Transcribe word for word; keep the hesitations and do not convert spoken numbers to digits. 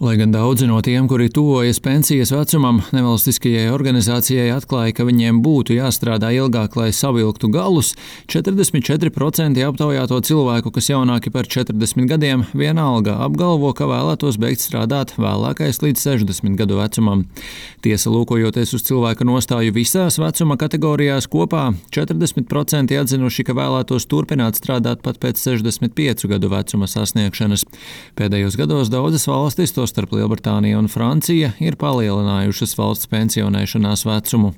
Lai gan daudzi no tiem, kuri tuvojas pensijas vecumam, nevalstiskajai organizācijai atklāja, ka viņiem būtu jāstrādā ilgāk, lai savilktu galus, četrdesmit četri procenti aptaujāto cilvēku, kas jaunāki par četrdesmit gadiem, vienalga apgalvo, ka vēlētos beigt strādāt vēlākais līdz sešdesmit gadu vecumam. Tiesa, lūkojoties uz cilvēka nostāju visās vecuma kategorijās kopā, četrdesmit procenti atzinuši, ka vēlētos turpināt strādāt pat pēc sešdesmit piecu gadu vecuma sasniegšanas. Pēdējos gados daudzas valstis, tostarp Lielbritānija un Francija, ir palielinājušas valsts pensionēšanās vecumu.